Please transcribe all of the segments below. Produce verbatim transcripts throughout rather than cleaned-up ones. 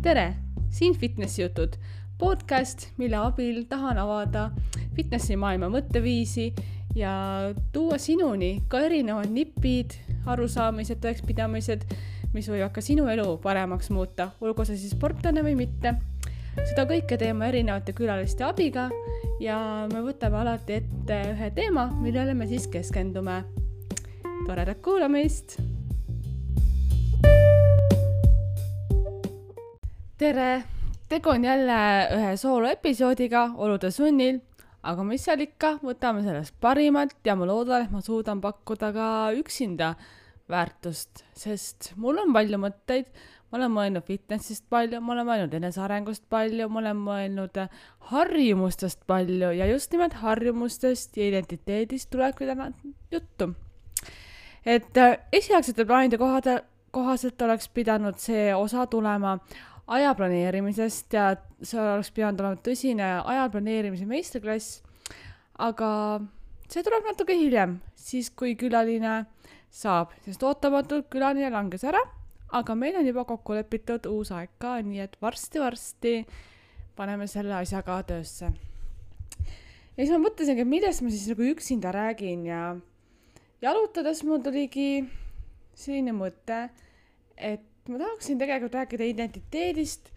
tere, siin Fitnessi jutud, podcast, mille abil tahan avada fitnessi maailma mõtteviisi ja tuua sinuni ka erinevad nipid, arusaamised, tõekspidamised, mis võivad ka sinu elu paremaks muuta, olgu see siis sportlane või mitte. Seda kõike teeme erinevate külaliste abiga ja me võtame alati ette ühe teema, millele me siis keskendume. Toredat kuulamist! Tere! Tegu on jälle ühe soolo episoodiga olude sunnil, aga mis seal ikka, võtame sellest parimat ja ma loodan, et ma suudan pakkuda ka üksinda väärtust, sest mul on palju mõtteid, ma olen mõelnud fitnessist palju, ma olen mõelnud enesearengust palju, ma olen mõelnud harjumustest palju ja just nimelt harjumustest ja identiteedist tulebki täna juttu. Et esialgsete plaanide kohaselt oleks pidanud see osa tulema aja planeerimisest ja see oleks pidanud olema tõsine aja planeerimise meisterklass, aga see tuleb natuke hiljem, siis kui külaline saab, sest ootamatult külaline langes ära, aga meil on juba kokku lepitud uus aeg ka, nii et varsti-varsti paneme selle asjaga töösse. Ja siis ma mõtlesingi, millest ma siis nagu üksinda räägin ja jalutades mul tuligi selline mõte, et ma tahaksin tegelikult rääkida identiteedist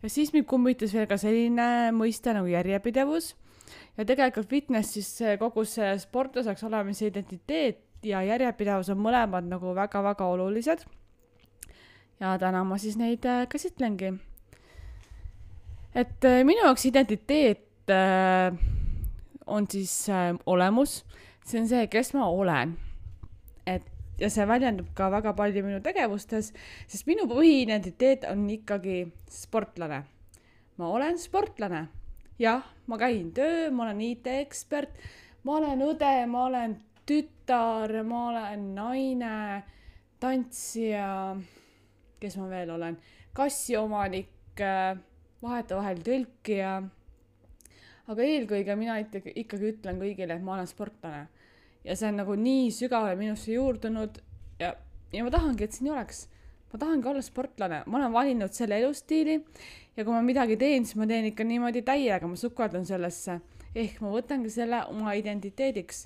ja siis mind kummitas veel ka selline mõiste nagu järjepidevus ja tegelikult fitness siis kogu see sportlaseks olemise identiteet ja järjepidevus on mõlemad nagu väga-väga olulised ja täna ma siis neid käsitlengi. Et minu jaoks identiteet on siis olemus, see on see, kes ma olen. Et ja see väljendub ka väga palju minu tegevustes, sest minu põhiidentiteet on ikkagi sportlane. Ma olen sportlane. Jah, ma käin töö, ma olen I T-ekspert, ma olen õde, ma olen tütar, ma olen naine, tantsija, kes ma veel olen, kassiomanik, vaheta vahel tõlkija. Aga eelkõige mina ikkagi ütlen kõigile, et ma olen sportlane. Ja see on nagu nii sügavale minusse juurdunud ja, ja ma tahangi, et siin oleks. Ma tahangi olla sportlane. Ma olen valinud selle elustiili ja kui ma midagi teen, siis ma teen ikka niimoodi täiega, ma sukeldan sellesse. Ehk ma võtangi selle oma identiteediks.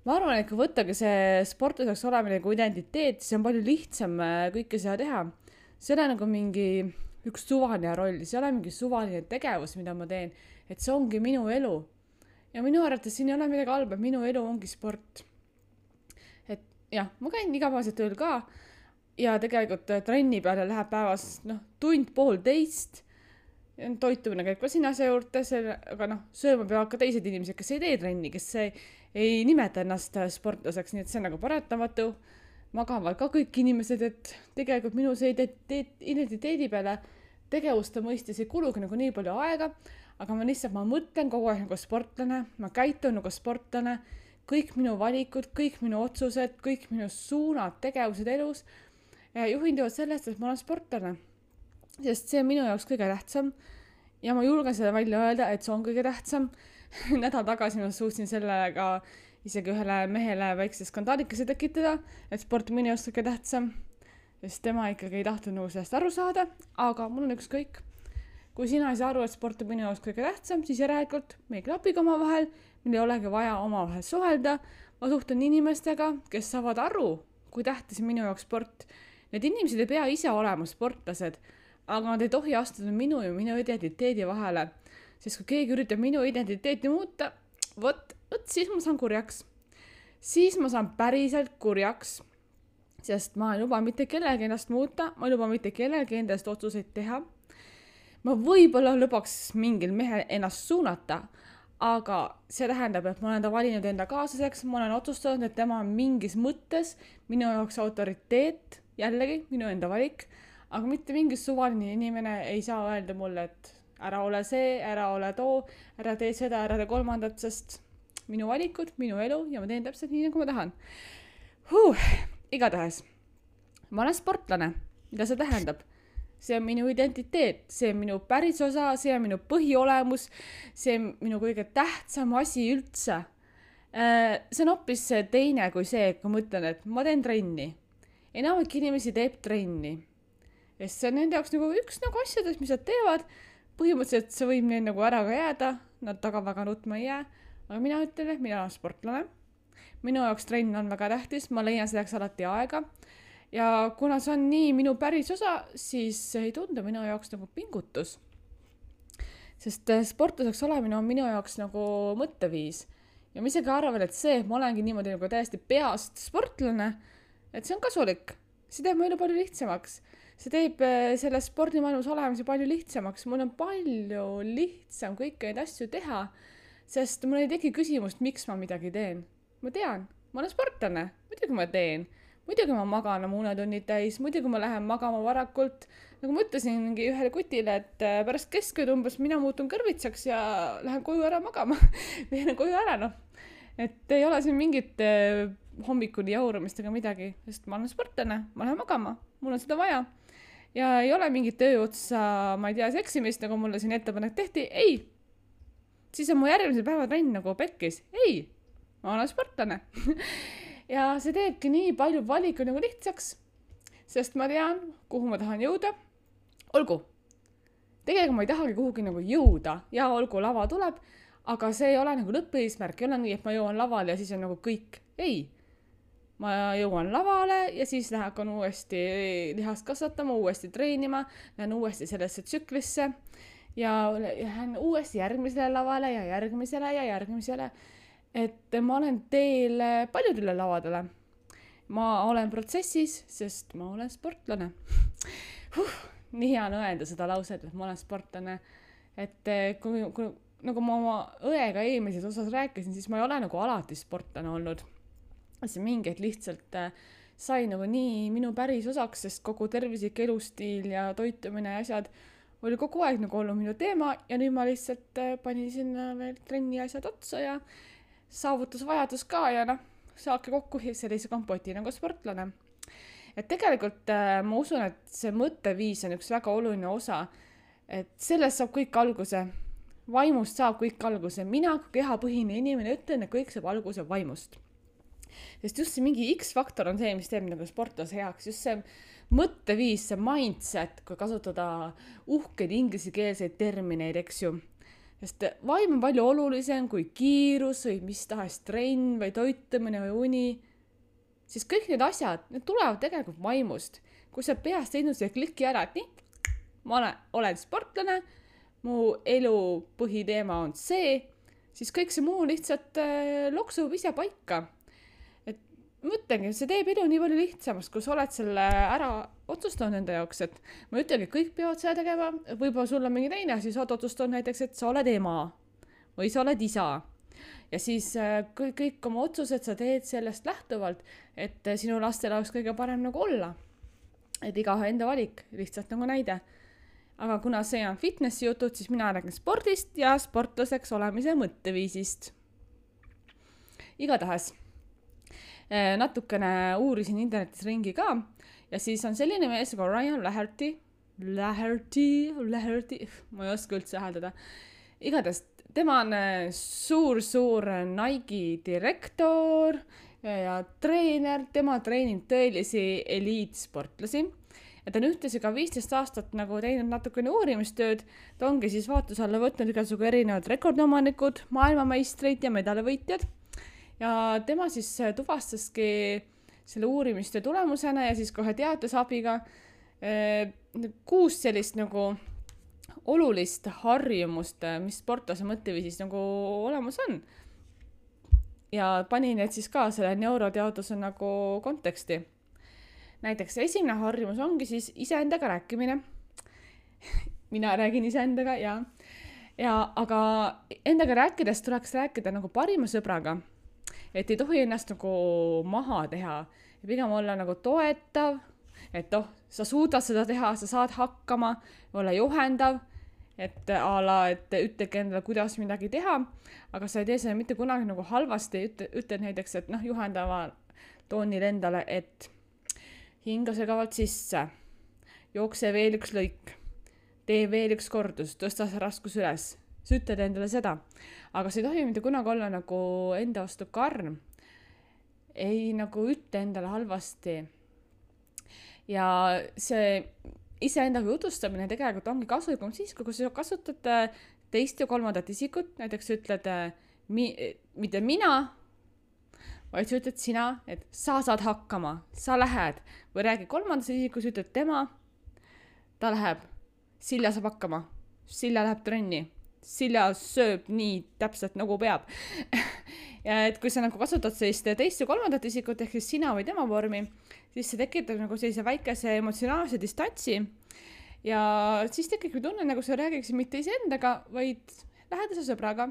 Ma arvan, et kui võttagi see sportlaseks olemine kui identiteet, siis on palju lihtsam kõike seda teha. See on nagu mingi üks suvaline roll, see on mingi suvaline tegevus, mida ma teen, et see ongi minu elu. Ja minu arvates siin ei ole midagi halba, minu elu ongi sport. Et jah, ma käin igapäevaselt tööl ka ja tegelikult trenni peale läheb päevas no, tund pool teist. Toitumine käib ka siin asja juurde, aga no, sööma peavad ka teised inimesed, kes ei tee trenni, kes ei, ei nimeta ennast sportlaseks, nii et see on nagu paratamatu. Magavad ka kõik inimesed, et tegelikult minu see identiteedi peale tegevuste mõistes ei kulugi nagu nii palju aega, aga ma lihtsalt, ma mõtlen kogu aeg nagu sportlane, ma käitun nagu sportlane, kõik minu valikud, kõik minu otsused, kõik minu suunad, tegevused elus juhinduvad sellest, et ma olen sportlane. Sest see on minu jaoks kõige tähtsam ja ma julgen seda välja öelda, et see on kõige tähtsam. Nädal tagasi ma suutsin sellega isegi ühele mehele väikse skandaalikese tekitada, et sport minu jaoks kõige tähtsam, sest tema ikkagi ei tahtnud nagu sellest aru saada, aga mul on ükskõik. Kui sina ei saa aru, et sport on minu jaoks kõige tähtsam, siis järelikult me ei klapigi oma vahel, meil ei olegi vaja oma vahel suhelda. Ma suhtlen inimestega, kes saavad aru, kui tähtis minu jaoks sport. Need inimesed ei pea ise olema sportlased, aga nad ei tohi astuda minu ja minu identiteedi vahele. Sest kui keegi üritab minu identiteeti muuta, võt, võt, siis ma saan kurjaks. Siis ma saan päriselt kurjaks, sest ma ei luba mitte kellelgi ennast muuta, ma ei luba mitte kellelgi endast otsuseid teha. Ma võib-olla lubaks mingil mehel ennast suunata, aga see tähendab, et ma olen ta valinud enda kaaslaseks, ma olen otsustanud, et tema on mingis mõttes minu jaoks autoriteet, jällegi minu enda valik, aga mitte mingi suvaline inimene ei saa öelda mulle, et ära ole see, ära ole too, ära tee seda, ära tee kolmandat, sest minu valikud, minu elu ja ma teen täpselt nii, nagu ma tahan. Huh, igatahes, ma olen sportlane, mida see tähendab? See on minu identiteet, see on minu päris osa, see on minu põhiolemus, see on minu kõige tähtsam asi üldse. See on hoopis teine kui see, kui ma ütlen, et ma teen trenni. Enamik inimesi teeb trenni. ja see on nende jaoks nagu üks nagu asjadest, mis nad teevad. Põhimõtteliselt see võib neil nagu ära ka jääda, nad taga väga nutma ei jää, aga mina ütlen, et mina olen sportlane. Minu jaoks trenn on väga tähtis, ma leian selleks alati aega ja kuna see on nii minu päris osa, siis ei tundu minu jaoks nagu pingutus. Sest sportlaseks olemine on minu jaoks nagu mõtteviis ja ma isegi arvan, et see, et ma olengi niimoodi nagu täiesti peast sportlane, et see on kasulik. See teeb mu elu palju lihtsamaks. See teeb selle spordimaailmas olemise palju lihtsamaks. Mul on palju lihtsam kõiki neid asju teha, sest mul ei teki küsimust, miks ma midagi teen. Ma tean, ma olen sportlane, muidugi ma teen. Muidugi ma magan oma unetunnid täis, muidugi ma lähen magama varakult. Nagu ma ütlesingi ühele kutile, et pärast keskööd umbes mina muutun kõrvitsaks ja lähen koju ära magama. Lähen koju ära, noh. Et ei ole siin mingit hommikuni jaurumist ega midagi, sest ma olen sportlane, ma lähen magama, mul on seda vaja. Ja ei ole mingit töö otsa, ma ei tea, seksimist, nagu mulle siin ettepanek tehti. Ei, siis on mu järgmise päeva trenn nagu pekkis. Ei, ma olen sportlane. Ja see teebki nii palju valiku nagu lihtsaks, sest ma tean, kuhu ma tahan jõuda. Olgu, tegelikult ma ei tahagi kuhugi nagu jõuda ja olgu lava tuleb, aga see ei ole nagu lõppeesmärk, ei ole nii, et ma jõuan lavale ja siis on nagu kõik. Ei, ma jõuan lavale ja siis lähen uuesti lihast kasvatama, uuesti treenima, lähen uuesti sellesse tsüklisse ja lähen uuesti järgmisele lavale ja järgmisele ja järgmisele. Et ma olen teel paljudele lavadele. Ma olen protsessis, sest ma olen sportlane. Huh, nii hea on öelda seda lauset, et ma olen sportlane. Et kui, kui nagu ma oma õega eelmises osas rääkisin, siis ma ei ole nagu alati sportlane olnud. See mingeid lihtsalt sai nagu nii minu päris osaks, sest kogu tervislik elustiil ja toitumine ja asjad oli kogu aeg nagu olnud minu teema ja nüüd ma lihtsalt panin sinna veel trenni asjad otsa ja saavutusvajadus ka ja noh, saake kokku sellise kompoti nagu sportlane. Et tegelikult ma usun, et see mõtteviis on üks väga oluline osa, et sellest saab kõik alguse, vaimust saab kõik alguse. Mina kui kehapõhine inimene ütlen, et kõik saab alguse vaimust. Sest just see mingi X-faktor on see, mis teeb nagu sportlase heaks, just see mõtteviis, see mindset, kui kasutada uhkeid inglise-keelseid termineid, eks ju. Sest vaim on palju olulisem kui kiirus või mis tahes trenn või toitumine või uni. Siis kõik need asjad, need tulevad tegelikult vaimust. Kui sa peast teinud see kliki ära, et nii, ma olen, olen sportlane, mu elu põhiteema on see, siis kõik see muu lihtsalt äh, loksub ise paika. Et mõtlengi, see teeb elu nii palju lihtsamast, kui sa oled selle ära otsustanud enda jaoks, et ma ütlengi, kõik peavad seda tegema, võib-olla sul on mingi teine, siis oled otsustanud näiteks, et sa oled ema või sa oled isa. Ja siis kõik, kõik oma otsused sa teed sellest lähtuvalt, et sinu lastel oleks kõige parem nagu olla. Et igahe enda valik, lihtsalt nagu näide. Aga kuna see on fitnessi jutud, siis mina räägin spordist ja sportlaseks olemise mõtteviisist. Igatahes natukene uurisin internetis ringi ka ja siis on selline mees nagu Ryan Laherty, Laherty, Laherty, ma ei oska üldse hääldada. Igatahes tema on suur-suur Nike direktor ja treener, tema treenib tõelisi eliitsportlasi. Ja ta on ühtesi ka viisteist aastat nagu teinud natukene uurimistööd, ta ongi siis vaatus alla võtnud igasugu erinevad rekordomanikud, maailmameistreid ja medalivõitjad. Ja tema siis tuvastaski selle uurimistöö tulemusena ja siis kohe teadusabiga eh, kuus sellist nagu olulist harjumust, mis sportlase mõtteviisis nagu olemas on. Ja panin need siis ka selle neuroteaduse nagu konteksti. Näiteks esimene harjumus ongi siis iseendaga rääkimine. Mina räägin iseendaga ja, ja aga endaga rääkides tuleks rääkida nagu parima sõbraga. Et ei tohi ennast nagu maha teha ja pigem olla nagu toetav, et oh, sa suudad seda teha, sa saad hakkama, olla juhendav, et ala, et ütlegi endale, kuidas midagi teha, aga sa ei tee seda mitte kunagi nagu halvasti, ütle, ütled näiteks, et noh, juhendava toonil endale, et hinga segavalt sisse, jookse veel üks lõik, tee veel üks kordus, tõsta see raskus üles. Sa ütled endale seda, aga see ei tohi mitte kunagi olla nagu enda vastu karm. Ei nagu ütle endale halvasti. Ja see iseendaga jutustamine tegelikult ongi kasulikum siis, kui sa kasutad teist ja kolmandat isikut, näiteks ütled mi, mitte mina, vaid sa ütled sina, et sa saad hakkama, sa lähed, või räägi kolmandas isikus, ütled tema, ta läheb, Silja saab hakkama, Silja läheb trenni, Silja sööb nii täpselt nagu peab. Ja et kui sa nagu kasutad sellist teist ja kolmandat isikut, ehk siis sina või tema vormi, siis see tekitab nagu sellise väikese emotsionaalse distantsi ja siis tekib tunne, nagu sa räägiksid mitte iseendaga, vaid lähedase sõbraga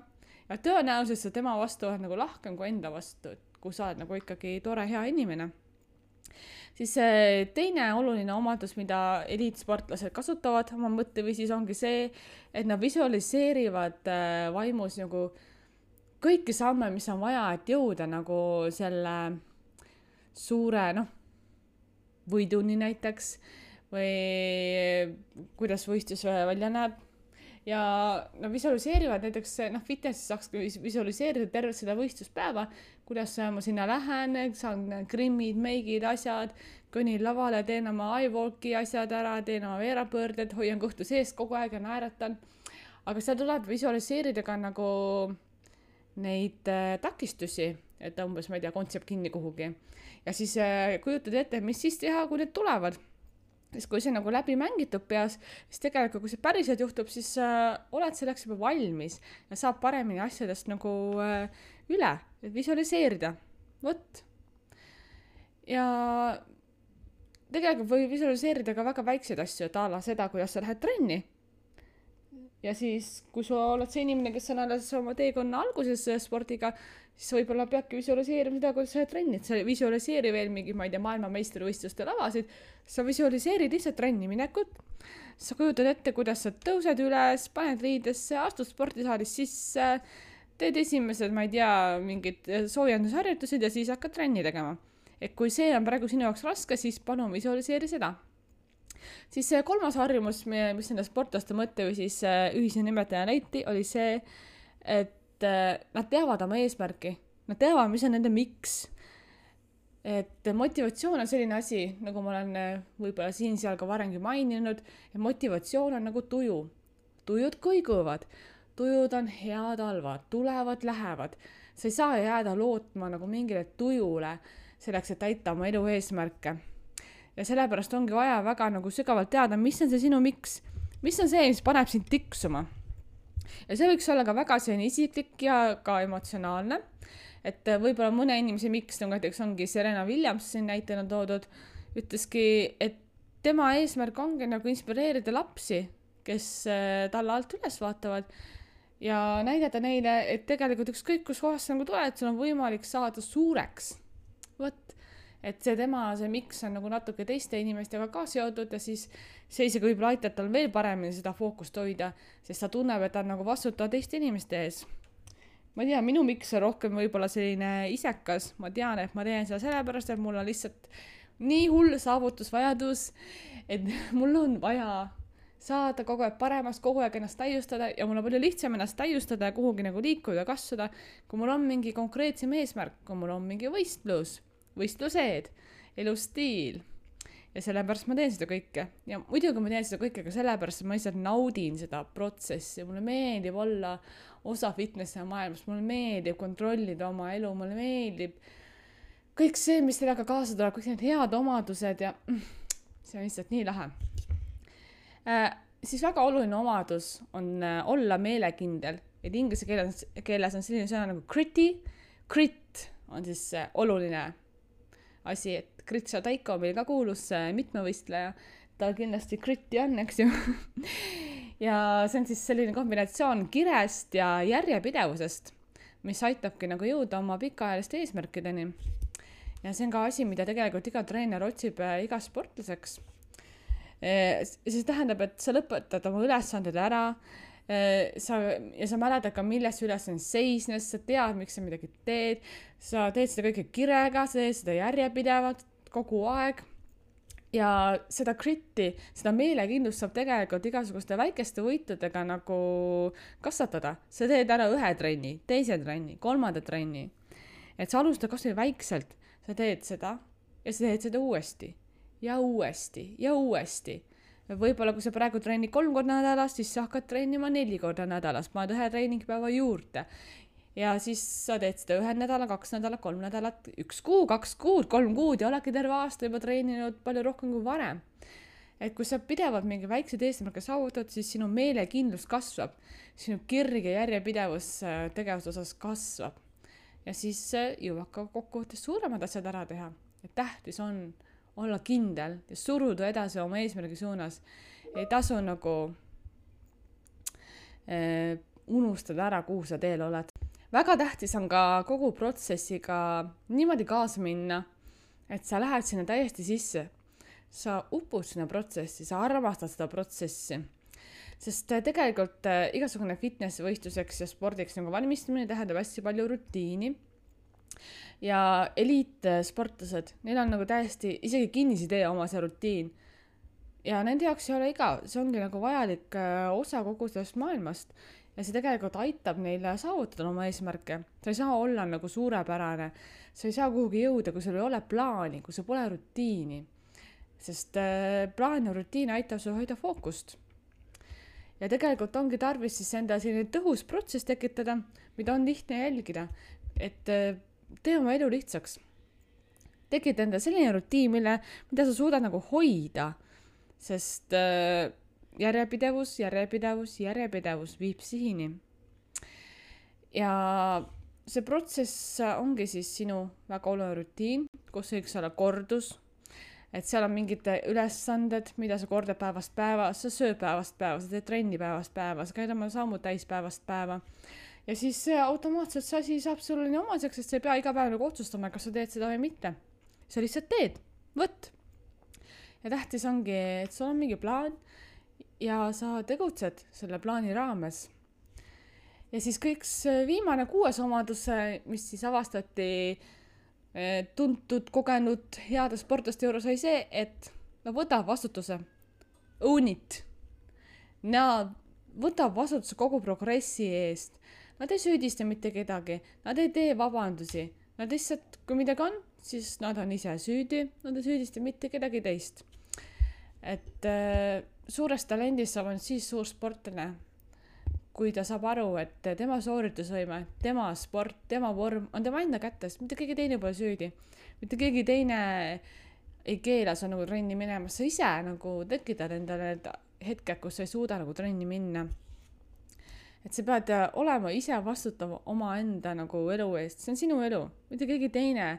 ja tõenäoliselt sa tema vastu oled nagu lahkem kui enda vastu, kui sa oled nagu ikkagi tore, hea inimene. Siis teine oluline omadus, mida eliitsportlased kasutavad oma mõtteviisis, ongi see, et nad visualiseerivad vaimus nagu kõiki samme, mis on vaja, et jõuda nagu selle suure, noh, võiduni näiteks või kuidas võistlus välja näeb. Ja nad visualiseerivad näiteks, noh, fitnessis saaks visualiseerida tervet seda võistluspäeva, kuidas ma sinna lähen, saan grimmid, meigid, asjad, kõnnin lavale, teen oma eyewalki asjad ära, teen oma veerapöörded, hoian kõhtu sees kogu aeg ja naeratan. Aga seal tuleb visualiseerida ka nagu neid äh, takistusi, et umbes, ma ei tea, kontsept kinni kuhugi. Ja siis äh, kujutad ette, mis siis teha, kui need tulevad. Siis kui see nagu läbi mängitud peas, siis tegelikult, kui see päriselt juhtub, siis äh, oled selleks juba valmis ja saab paremini asjadest nagu äh, üle, et visualiseerida. Võt. Ja tegelikult või visualiseerida ka väga väikseid asju, et ala seda, kuidas sa lähed trenni. Ja siis, kui sa oled see inimene, kes on alles oma teekonna alguses spordiga, siis võib-olla peabki visualiseerima seda, kuidas sa trennid. Sa visualiseeri veel mingi, ma ei tea, maailma meistrivõistluste lavasid. Sa visualiseerid lihtsalt trenni minekut. Sa kujutad ette, kuidas sa tõused üles, paned riidesse, astud spordisaalis sisse, teed esimesed, ma ei tea, mingid soojendusharjutused ja siis hakkad trenni tegema. Et kui see on praegu sinu jaoks raske, siis palun visualiseeri seda. Siis see kolmas harjumus, mis nende sportlaste mõtte või siis ühise nimetaja leiti, oli see, et nad teavad oma eesmärki. Nad teavad, mis on nende miks. Et motivatsioon on selline asi, nagu ma olen võib-olla siin seal ka varengi maininud, et motivatsioon on nagu tuju. Tujud kõiguvad. Tujud on head halvad, tulevad, lähevad. Sa ei saa jääda lootma nagu mingile tujule selleks, et täita oma elu eesmärke. Ja sellepärast ongi vaja väga nagu sügavalt teada, mis on see sinu miks, mis on see, mis paneb sind tiksuma. Ja see võiks olla ka väga selline isiklik ja ka emotsionaalne, et võib-olla mõne inimese miks, nagu näiteks ongi Serena Williams siin näitena toodud, ütleski, et tema eesmärk ongi nagu inspireerida lapsi, kes talle alt üles vaatavad ja näidata neile, et tegelikult ükskõik kus kohas nagu tuled, sul on võimalik saada suureks. Võt. Et see tema, see miks on nagu natuke teiste inimestega ka seotud ja siis see isegi võib-olla aitab tal veel paremini seda fookust hoida, sest ta tunneb, et ta on nagu vastutav teiste inimeste ees. Ma tean, minu miks on rohkem võib-olla selline isekas, ma tean, et ma teen seda sellepärast, et mul on lihtsalt nii hull saavutusvajadus, et mul on vaja saada kogu aeg paremast, kogu aeg ennast täiustada ja mul on palju lihtsam ennast täiustada ja kuhugi nagu liikuda ja kasvada, kui mul on mingi konkreetsem eesmärk, kui mul on mingi võistlus. Võistlused, elustiil ja sellepärast ma teen seda kõike ja muidugi ma teen seda kõike ka sellepärast, et ma lihtsalt naudin seda protsessi, mulle meeldib olla osa fitnessi maailmas, mulle meeldib kontrollida oma elu, mulle meeldib kõik see, mis sellega kaasa tuleb, kõik need head omadused ja see on lihtsalt nii lahe. Äh, siis väga oluline omadus on äh, olla meelekindel, et inglise keeles, keeles on selline sõna nagu gritty, grit on siis äh, oluline asi, et Gritša Taiko meil ka kuulus mitmevõistleja, ta kindlasti gritti on, eks ju. Ja see on siis selline kombinatsioon kirest ja järjepidevusest, mis aitabki nagu jõuda oma pikaajaliste eesmärkideni. Ja see on ka asi, mida tegelikult iga treener otsib iga sportlaseks. See tähendab, et sa lõpetad oma ülesanded ära, Sa, ja sa mäletad ka, milles üles on seisnes, sa tead, miks sa midagi teed, sa teed seda kõike kirega, sa teed seda järjepidevalt kogu aeg ja seda gritti, seda meelekindlust saab tegelikult igasuguste väikeste võitudega nagu kasvatada. Sa teed ära ühe trenni, teise trenni, kolmanda trenni, et sa alustad kas või väikselt, sa teed seda ja sa teed seda uuesti ja uuesti ja uuesti. võib-olla kui sa praegu treenid kolm korda nädalas, siis sa hakkad treenima neli korda nädalas, paned ühe treeningpäeva juurde ja siis sa teed seda ühe nädala, kaks nädalat, kolm nädalat, üks kuu, kaks kuud, kolm kuud ja oledki terve aasta juba treeninud palju rohkem kui varem. Et kui sa pidevalt mingi väikse eesmärke saavutad, siis sinu meelekindlus kasvab, sinu kirg ja järjepidevus tegevuse osas kasvab ja siis jõuab ka kokkuvõttes suuremad asjad ära teha. Et tähtis on olla kindel ja suruda edasi oma eesmärgi suunas. Ei tasu nagu äh, unustada ära, kuhu sa teel oled. Väga tähtis on ka kogu protsessiga niimoodi kaasa minna, et sa lähed sinna täiesti sisse. Sa upud sinna protsessi, sa armastad seda protsessi. Sest tegelikult äh, igasugune fitness võistluseks ja spordiks nagu valmistamine tähendab hästi palju rutiini. Ja eliitsportlased, neil on nagu täiesti isegi kinnisidee oma see rutiin ja nende jaoks ei ole igav, see ongi nagu vajalik osa kogu sellest maailmast ja see tegelikult aitab neile saavutada oma eesmärke. Sa ei saa olla nagu suurepärane, sa ei saa kuhugi jõuda, kui sul ei ole plaani, kui sul pole rutiini, sest plaan ja rutiin aitab sul hoida fookust ja tegelikult ongi tarvis siis enda selline tõhus protsess tekitada, mida on lihtne jälgida, et tee oma elu lihtsaks. Tekid enda selline rutiin, mille, mida sa suudad nagu hoida, sest äh, järjepidevus, järjepidevus, järjepidevus viib sihini. Ja see protsess ongi siis sinu väga oluline rutiin, kus võiks olla kordus, et seal on mingid ülesanded, mida sa kordad päevast päeva, sa sööd päevast päeva, sa teed trenni päevast päeva, sa käid oma sammud täis päevast päeva. Ja siis see automaatselt see asi saab sulle nii omaseks, sest sa ei pea iga päev nagu otsustama, kas sa teed seda või mitte. Sa lihtsalt teed, võtt. Ja tähtis ongi, et sul on mingi plaan ja sa tegutsed selle plaani raames. Ja siis kõik viimane kuues omadus, mis siis avastati tuntud, kogenud, heade sportlaste juures oli see, et no võta vastutuse. Own it. Nad võtab vastutuse kogu progressi eest. Nad ei süüdista mitte kedagi, nad ei tee vabandusi. Nad lihtsalt, kui midagi on, siis nad on ise süüdi, nad ei süüdista mitte kedagi teist. Et äh, suurest talendist saab on siis suur sportlane, kui ta saab aru, et tema sooritusvõime, tema sport, tema vorm on tema enda kätes, mitte keegi teine pole süüdi. Mitte keegi teine ei keela sa nagu trenni minema, sa ise nagu tekitad endale need hetked, kus sa ei suuda nagu trenni minna. Et sa pead olema ise vastutav oma enda nagu elu eest. See on sinu elu, mitte keegi teine.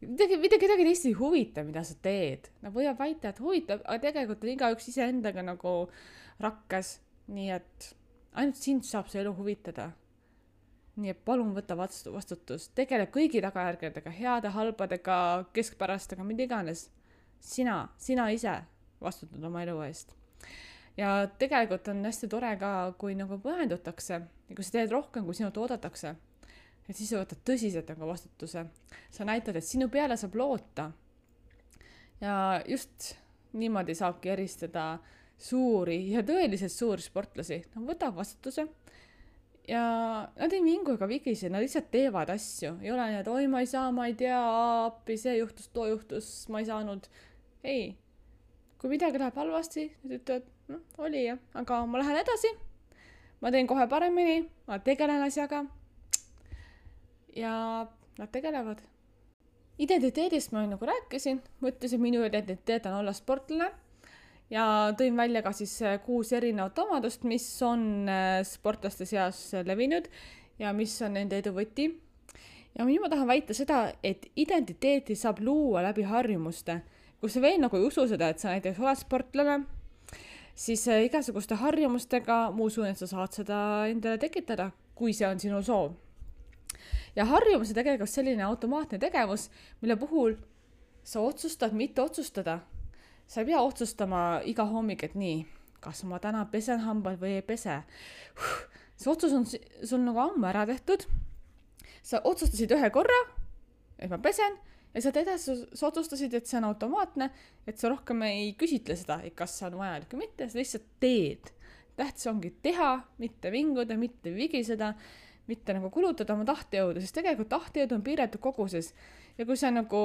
Mitte kedagi teist ei huvita, mida sa teed. Nad võivad väita, et huvitab, aga tegelikult on igaüks ise endaga nagu rakkes. Nii et ainult sind saab see elu huvitada. Nii et palun võta vastutus. Tegele kõigi tagajärgedega, heade, halbadega, keskpärastega, mida iganes. Sina, sina ise vastutad oma elu eest. Ja tegelikult on hästi tore ka, kui nagu pühendutakse ja kui sa teed rohkem, kui sinult oodatakse, et siis sa võtad tõsiselt nagu vastutuse. Sa näitad, et sinu peale saab loota. Ja just niimoodi saabki eristada suuri ja tõeliselt suuri sportlasi. Nad võtab vastutuse ja nad ei mingu ega vigise, nad lihtsalt teevad asju. Ei ole nii, et oi, ma ei saa, ma ei tea, appi, see juhtus, too juhtus, ma ei saanud. Ei, kui midagi läheb halvasti, nad ütlevad, no, oli jah, aga ma lähen edasi, ma teen kohe paremini, ma tegelen asjaga ja nad tegelevad. Identiteedist ma nagu rääkisin, ma ütlesin, minu identiteet on olla sportlane ja tõin välja ka siis kuus erinevat omadust, mis on sportlaste seas levinud ja mis on nende edu võti. Ja nüüd ma tahan väita seda, et identiteeti saab luua läbi harjumuste. Kui sa veel nagu ei usu seda, et sa näiteks oled sportlane, siis igasuguste harjumustega ma usun, et sa saad seda endale tekitada, kui see on sinu soov. Ja harjumus on tegelikult selline automaatne tegevus, mille puhul sa otsustad mitte otsustada. Sa ei pea otsustama iga hommik, et nii, kas ma täna pesen hambad või ei pese. See otsus on sul nagu ammu ära tehtud. Sa otsustasid ühe korra, et ma pesen, ja sa edasi sa otsustasid, et see on automaatne, et sa rohkem ei küsitle seda, et kas see on vajalik või mitte, sa lihtsalt teed. Tähtis ongi teha, mitte vinguda, mitte vigiseda, mitte nagu kulutada oma tahtejõudu, sest tegelikult tahtejõud on piiratud koguses. Ja kui sa nagu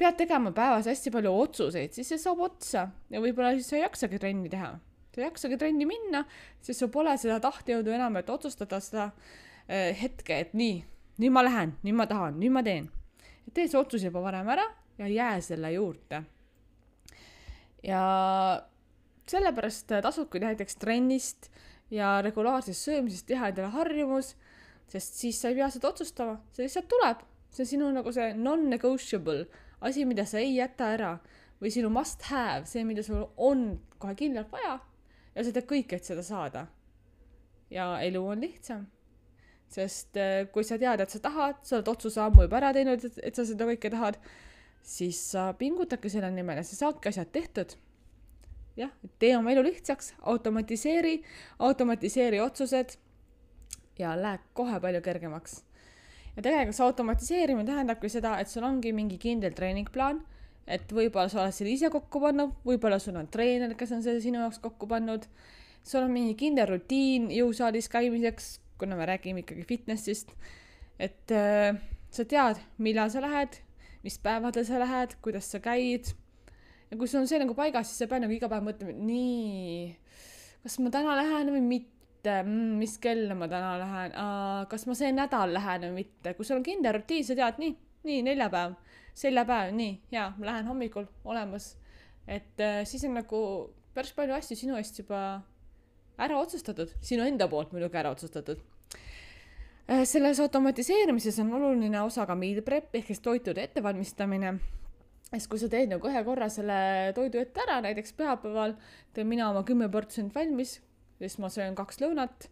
pead tegema päevas hästi palju otsuseid, siis see saab otsa ja võib-olla siis sa ei jaksagi trenni teha. Sa ei jaksagi trenni minna, siis sul pole seda tahtejõudu enam, et otsustada seda äh, hetke, et nii, nüüd ma lähen, nüüd ma tahan, nüüd ma teen. Et tee see otsus juba varem ära ja jää selle juurde. Ja sellepärast tasubki näiteks trennist ja regulaarsest söömisest teha endale harjumus, sest siis sa ei pea seda otsustama, see lihtsalt tuleb. See on sinu nagu see non-negotiable, asi, mida sa ei jäta ära või sinu must have, see, mida sul on kohe kindlalt vaja ja sa teed kõik, et seda saada. Ja elu on lihtsam, sest kui sa tead, et sa tahad, sa oled otsuse ammu juba ära teinud, et sa seda kõike tahad, siis sa pingutadki selle nimel ja sa saadki asjad tehtud. Jah, tee oma elu lihtsaks, automatiseeri, automatiseeri otsused ja läheb kohe palju kergemaks. Ja tegelikult see automatiseerimine tähendabki seda, et sul ongi mingi kindel treeningplaan, et võib-olla sa oled selle ise kokku pannud, võib-olla sul on treener, kes on selle sinu jaoks kokku pannud, sul on mingi kindel rutiin jõusaalis käimiseks, kuna me räägime ikkagi fitnessist, et äh, sa tead, millal sa lähed, mis päevadel sa lähed, kuidas sa käid. Ja kui sul on see nagu paigas, siis sa pead nagu iga päev mõtlema, et nii, kas ma täna lähen või mitte, mm, mis kella ma täna lähen, Aa, kas ma see nädal lähen või mitte. Kui sul on kindel rutiin, sa tead, nii, nii, neljapäev, seljapäev, nii, jaa, ma lähen hommikul olemas. Et äh, siis on nagu päris palju asju sinu eest juba ära otsustatud, sinu enda poolt muidugi ära otsustatud. Selles automatiseerimises on oluline osa ka meal prep ehk toitude ettevalmistamine. Sest kui sa teed nagu ühe korra selle toidu ette ära, näiteks pühapäeval teen mina oma kümme protsenti valmis, siis ma söön kaks lõunat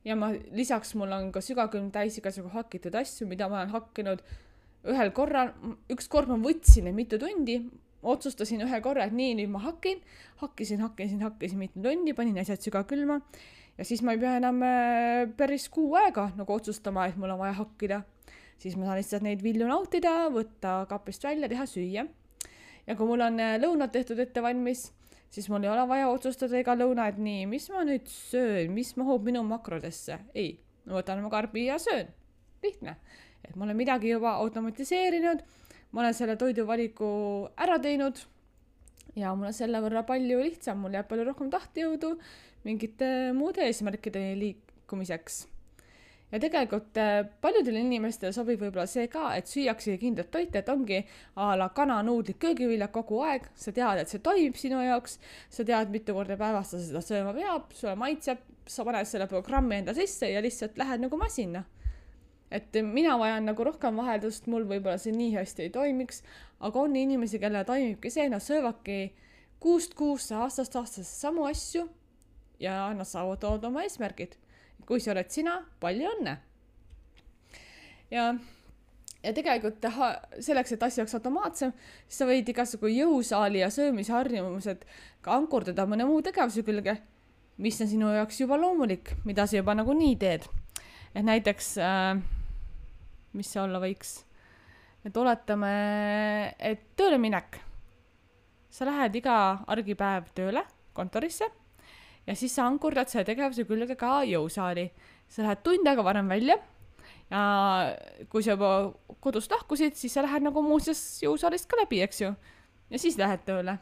ja ma, lisaks mul on ka sügakülm täis igasugu hakitud asju, mida ma olen hakkinud ühel korral. Üks kord ma võtsin mitu tundi, otsustasin ühe korra, et nii, nüüd ma hakin, hakkisin, hakkisin, hakkisin mitu tundi, panin asjad sügakülma. Ja siis ma ei pea enam päris kuu aega nagu otsustama, et mul on vaja hakkida. Siis ma saan lihtsalt neid vilju nautida, võtta kapist välja, teha süüa. Ja kui mul on lõunad tehtud ette valmis, siis mul ei ole vaja otsustada ega lõuna, et nii, mis ma nüüd söön, mis mahub minu makrodesse. Ei, ma võtan oma karbi ja söön. Lihtne. Et ma olen midagi juba automatiseerinud, ma olen selle toiduvaliku ära teinud ja mul on selle võrra palju lihtsam, mul jääb palju rohkem tahtejõudu mingite muude eesmärkide liikumiseks. Ja tegelikult paljudele inimestele sobib võib-olla see ka, et süüakse kindlat toite, et ongi a la kana, nuudlid, köögiviljad kogu aeg. Sa tead, et see toimib sinu jaoks, sa tead, mitu korda päevast sa seda sööma peab, sulle maitseb, sa paned selle programmi enda sisse ja lihtsalt lähed nagu masina. Et mina vajan nagu rohkem vaheldust, mul võib-olla see nii hästi ei toimiks, aga on inimesi, kelle toimibki see, nad söövadki kuust kuusse, aastast aastast samu asju ja nad saavutavad oma eesmärgid. Kui see oled sina, palju õnne. Ja, ja tegelikult selleks, et asja oleks automaatsem, siis sa võid igasugu jõusaali ja söömisharjumused ka ankurdada mõne muu tegevuse külge, mis on sinu jaoks juba loomulik, mida sa juba nagu nii teed. Et näiteks, äh, mis see olla võiks, et oletame, et tööle minek. Sa lähed iga argipäev tööle kontorisse ja siis sa ankurdad selle tegevuse külge ka jõusaali. Sa lähed tund aega varem välja ja kui sa juba kodust lahkusid, siis sa lähed nagu muuseas jõusaalist ka läbi, eks ju. Ja siis lähed tööle.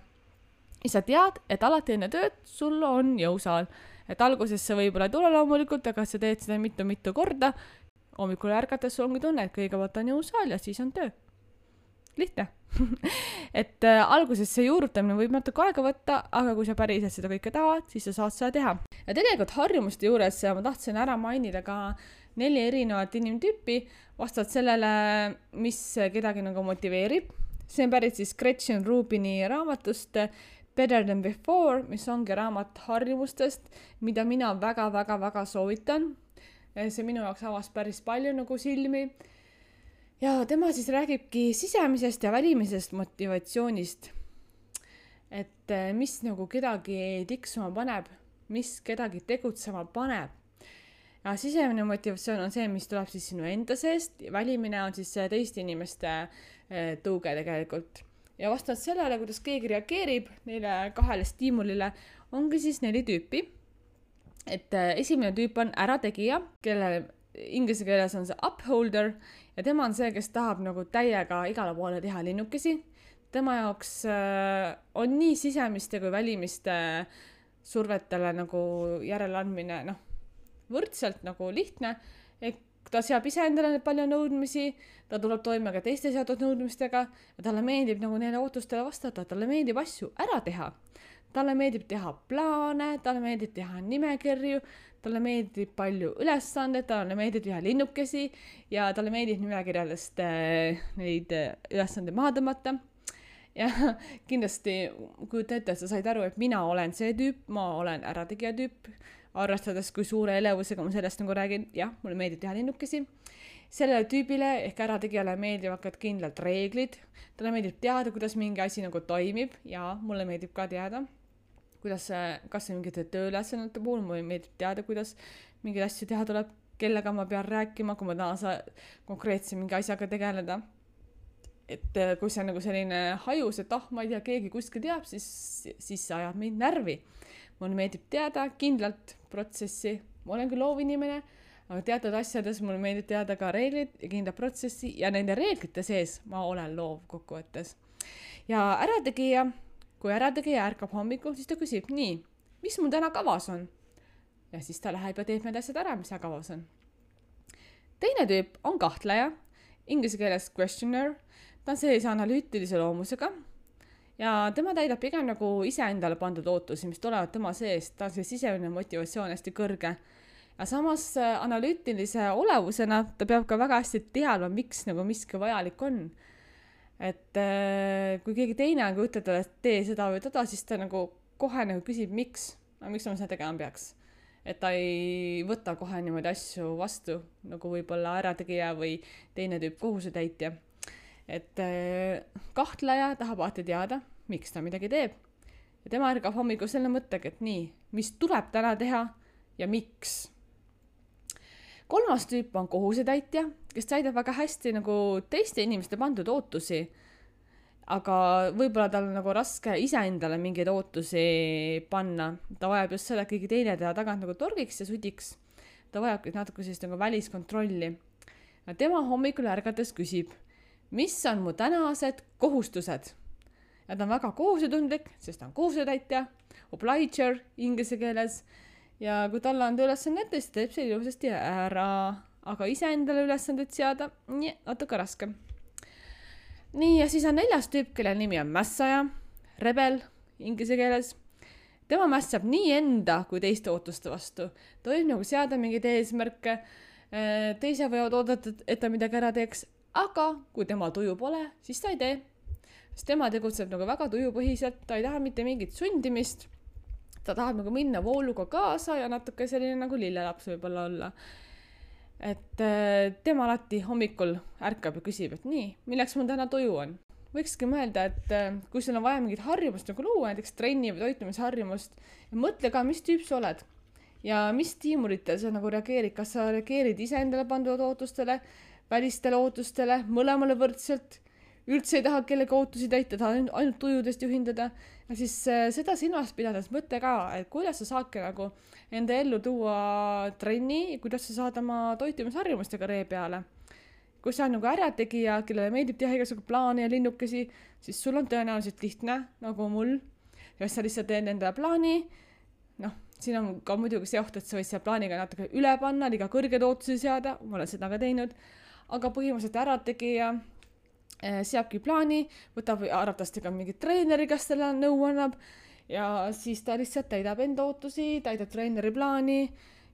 Ja sa tead, et alati enne tööd sul on jõusaal. Et alguses see võib-olla ei tule loomulikult, aga sa teed seda mitu-mitu korda. Hommikul ärgates sul ongi tunne, et kõigepealt on jõusaal ja siis on töö. Lihtne. et äh, alguses see juurutamine võib natuke aega võtta, aga kui sa päriselt seda kõike tahad, siis sa saad seda teha. Ja tegelikult harjumuste juures ma tahtsin ära mainida ka neli erinevat inimtüüpi vastavalt sellele, mis kedagi nagu motiveerib. See on pärit siis Gretchen Rubini raamatust Better Than Before, mis ongi raamat harjumustest, mida mina väga-väga-väga soovitan. See minu jaoks avas päris palju nagu silmi. Ja tema siis räägibki sisemisest ja välimisest motivatsioonist. Et mis nagu kedagi tiksuma paneb, mis kedagi tegutsema paneb. Ja sisemine motivatsioon on see, mis tuleb siis sinu enda seest. Välimine on siis teiste inimeste tõuge tegelikult. Ja vastavalt sellele, kuidas keegi reageerib neile kahele stiimulile, ongi siis neli tüüpi. Et esimene tüüp on ärategija, kelle inglise keeles on see upholder ja tema on see, kes tahab nagu täiega igale poole teha linnukesi. tema jaoks äh, on nii sisemiste kui välimiste survetele nagu järeleandmine noh, võrdselt nagu lihtne, et ta seab ise endale palju nõudmisi, ta tuleb toime ka teiste seatud nõudmistega ja talle meeldib nagu neile ootustele vastata, talle meeldib asju ära teha. Talle meeldib teha plaane, talle meeldib teha nimekirju, talle meeldib palju ülesanded, talle meeldib teha linnukesi ja talle meeldib nimekirjadest neid ülesande maha tõmmata. Ja kindlasti kujuta ette, et sa said aru, et mina olen see tüüp, ma olen ärategija tüüp, arvestades kui suure elevusega ma sellest nagu räägin, jah, mulle meeldib teha linnukesi. Sellele tüübile ehk ärategijale meeldivad ka kindlalt reeglid, talle meeldib teada, kuidas mingi asi nagu toimib ja mulle meeldib ka teada, kuidas, kas see mingite tööülesannete puhul, mulle meeldib teada, kuidas mingeid asju teha tuleb, kellega ma pean rääkima, kui ma tahan saa konkreetse mingi asjaga tegeleda. Et kui see on nagu selline hajus, et ah, ma ei tea, keegi kuskil teab, siis, siis see ajab mind närvi. Mulle meeldib teada kindlalt protsessi, ma olen küll loovinimene, aga teatud asjades mulle meeldib teada ka reeglid ja kindla protsessi ja nende reeglite sees ma olen loov kokkuvõttes. Ja ärategija, kui ärategija ärkab hommikul, siis ta küsib, nii, mis mul täna kavas on? Ja siis ta läheb ja teeb need asjad ära, mis seal kavas on. Teine tüüp on kahtleja, inglise keeles questioner, ta on sellise analüütilise loomusega ja tema täidab pigem nagu ise endale pandud ootusi, mis tulevad tema seest, ta on see sisemine motivatsioon hästi kõrge. Ja samas analüütilise olevusena ta peab ka väga hästi teadma, miks nagu miski vajalik on. Et äh, kui keegi teine on ütleb talle, et tee seda või teda, siis ta nagu kohe nagu küsib, miks, aga miks ma seda tegema peaks. Et ta ei võta kohe niimoodi asju vastu, nagu võib-olla ärategija või teine tüüp kohusetäitja. Et äh, kahtleja tahab alati teada, miks ta midagi teeb. Ja tema ärgab hommikul selle mõttega, et nii, mis tuleb täna teha ja miks. Kolmas tüüp on kohusetäitja, kes täidab väga hästi nagu teiste inimeste pandud ootusi, aga võib-olla tal on nagu raske ise endale mingeid ootusi panna. Ta vajab just seda, et keegi teine teda tagant nagu torgiks ja sudiks. Ta vajab natuke sellist nagu väliskontrolli. Ja tema hommikul ärgates küsib, mis on mu tänased kohustused? Ja ta on väga kohusetundlik, sest ta on kohusetäitja, obliger inglise keeles. Ja kui talle on ülesannet, siis teeb see ilusasti ära, aga ise endale ülesanded seada, nii, natuke raske. Nii, ja siis on neljas tüüp, kelle nimi on mässaja, rebel inglise keeles. Tema mässab nii enda kui teiste ootuste vastu. Ta võib nagu seada mingeid eesmärke, teise võivad oodata, et ta midagi ära teeks, aga kui tema tuju pole, siis ta ei tee. Sest tema tegutseb nagu väga tujupõhiselt, ta ei taha mitte mingit sundimist. Ta tahab nagu minna vooluga kaasa ja natuke selline nagu lillelaps võib-olla olla. Et tema alati hommikul ärkab ja küsib, et nii, milleks mul täna tuju on. Võikski mõelda, et kui sul on vaja mingit harjumust nagu luua, näiteks trenni või toitumisharjumust, ja mõtle ka, mis tüüp sa oled ja mis stiimuritel sa nagu reageerid, kas sa reageerid ise endale pandud ootustele, välistele ootustele, mõlemale võrdselt, üldse ei taha kellegi ootusi täita, taha ainult tujudest juhindada. Ja siis äh, seda silmas pidades mõtle ka, et kuidas sa saadki nagu enda ellu tuua trenni, kuidas sa saad oma toitumisharjumustega ree peale. Kui sa on nagu ärategija, kellele meeldib teha igasugu plaane ja linnukesi, siis sul on tõenäoliselt lihtne, nagu mul. Ja sa lihtsalt teed enda plaani, noh, siin on ka muidugi see oht, et sa võid seal plaaniga natuke üle panna, liiga kõrged ootusi seada, ma olen seda ka teinud, aga põhimõtteliselt ärategija seabki plaani, võtab arvatavasti ka mingi treeneri, kes talle nõu annab ja siis ta lihtsalt täidab enda ootusi, täidab treeneri plaani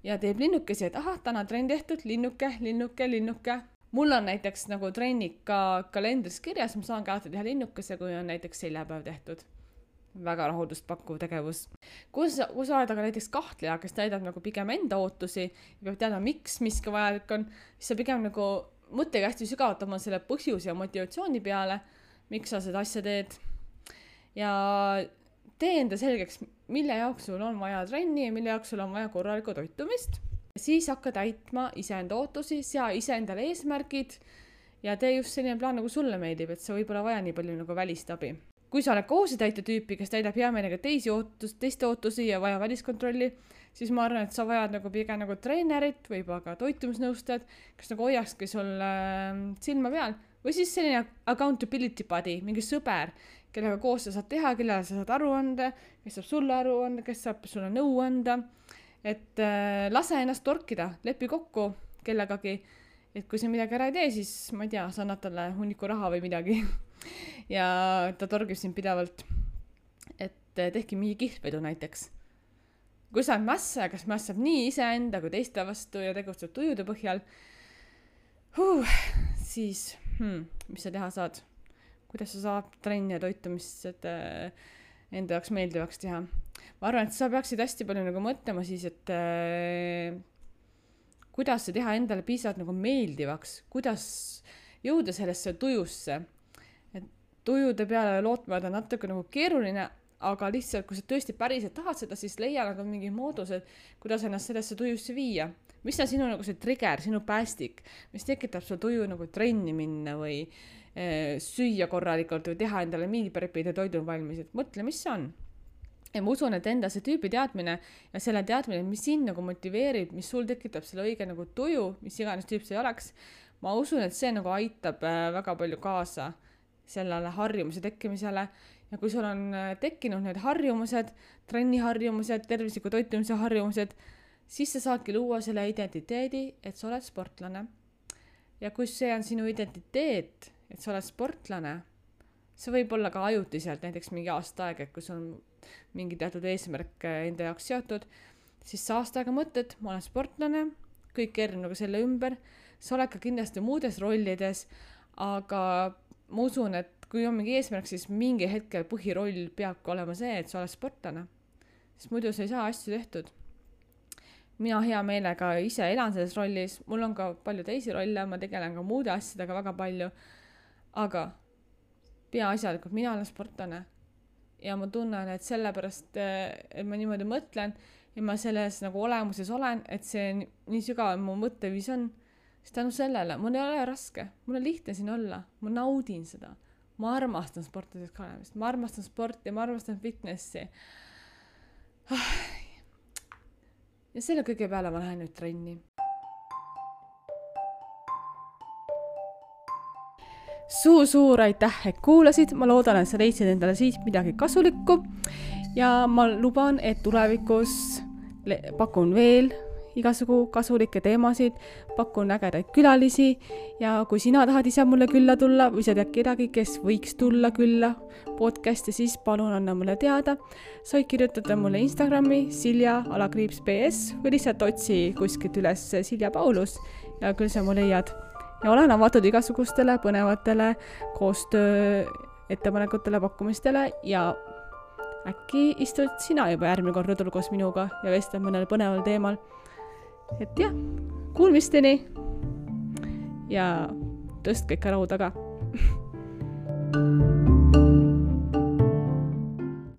ja teeb linnukesi, et ahah, täna trenn tehtud, linnuke, linnuke, linnuke. Mul on näiteks nagu trennid ka kalendris kirjas, ma saan ka alati teha linnukese, kui on näiteks seljapäev tehtud. Väga rahuldust pakkuv tegevus. Kui sa, kui sa oled aga näiteks kahtleja, kes täidab nagu pigem enda ootusi ja peab teada, miks miski vajalik on, siis sa pigem nagu mõttega hästi sügavalt oma selle põhjuse ja motivatsiooni peale, miks sa seda asja teed. Ja tee enda selgeks, mille jaoks sul on vaja trenni ja mille jaoks sul on vaja korralikku toitumist. Siis hakka täitma iseenda ootusi, sea iseendale eesmärgid ja tee just selline plaan, nagu sulle meeldib, et sa võib-olla vaja nii palju nagu välist abi. Kui sa oled kohusetäitja tüüpi, kes täidab hea meelega teisi ootus, teiste ootusi ja vaja väliskontrolli, siis ma arvan, et sa vajad nagu pigem nagu treenerit või ka toitumisnõustajad, kes nagu hoiakski sul äh, silma peal, või siis selline accountability buddy, mingi sõber, kellega koos sa saad teha, kellele sa saad aru anda, kes saab sulle aru anda, kes saab sulle nõu anda, et äh, lase ennast torkida, lepi kokku kellegagi, et kui sa midagi ära ei tee, siis ma ei tea, sa annad talle hunniku raha või midagi ja ta torgib sind pidevalt, et tehki mingi kihlvedu näiteks. Kui sa oled mässa, kas mässab nii iseenda kui teiste vastu ja tegutseb tujude põhjal, huh, siis hmm, mis sa teha saad? Kuidas sa saab trenni ja toitumist enda jaoks meeldivaks teha? Ma arvan, et sa peaksid hästi palju nagu mõtlema siis, et äh, kuidas sa teha endale piisavalt nagu meeldivaks, kuidas jõuda sellesse tujusse. Et tujude peale lootma on natuke nagu keeruline, aga lihtsalt, kui sa tõesti päriselt tahad seda, siis leia nagu mingi moodused, kuidas ennast sellesse tujusse viia. Mis on sinu nagu see trigger, sinu päästik, mis tekitab sul tuju nagu trenni minna või e, süüa korralikult või teha endale mealprepid ja toidun valmis. Et mõtle, mis see on. Ja ma usun, et enda see tüüpi teadmine ja selle teadmine, mis sind nagu motiveerib, mis sul tekitab selle õige nagu tuju, mis iganes tüüp see oleks, ma usun, et see nagu aitab väga palju kaasa sellele harjumuse tekkimisele. Ja kui sul on tekkinud need harjumused, trenniharjumused, tervisliku toitumise harjumused, siis sa saadki luua selle identiteedi, et sa oled sportlane. Ja kui see on sinu identiteet, et sa oled sportlane, see võib olla ka ajutiselt, näiteks mingi aasta aeg, et kui sul on mingi teatud eesmärk enda jaoks seotud, siis sa aasta aega mõtled, ma olen sportlane, kõik keerib nagu selle ümber, sa oled ka kindlasti muudes rollides, aga ma usun, et kui on mingi eesmärk, siis mingi hetkel põhiroll peabki olema see, et sa oled sportlane. Sest muidu sa ei saa asju tehtud. Mina hea meelega ise elan selles rollis, mul on ka palju teisi rolle, ma tegelen ka muude asjadega väga palju, aga peaasjalikult mina olen sportlane. Ja ma tunnen, et sellepärast, et ma niimoodi mõtlen ja ma selles nagu olemuses olen, et see nii sügav mu mõtteviis on, siis tänu sellele, mul ei ole raske, mul on lihtne siin olla, ma naudin seda. Ma armastan sportlaseks olemist, ma armastan sporti ja ma armastan fitnessi. Ja selle kõige peale ma lähen nüüd trenni. Suur-suur aitäh, et kuulasid, ma loodan, et sa leidsid endale siit midagi kasulikku ja ma luban, et tulevikus pakun veel igasugu kasulikke teemasid, pakun ägedaid külalisi ja kui sina tahad ise mulle külla tulla või sa tead kedagi, kes võiks tulla külla podcasti, siis palun anna mulle teada. Sa võid kirjutada mulle Instagrami Silja alakriips B S või lihtsalt otsi kuskilt üles Silja Paulus ja küll sa mu leiad. Ja olen avatud igasugustele põnevatele koostöö ettepanekutele, pakkumistele ja äkki istud sina juba järgmine kord rõdul koos minuga ja vestled mõnel põneval teemal. Et jah, kuulmisteni ja tõstke ikka rahu taga.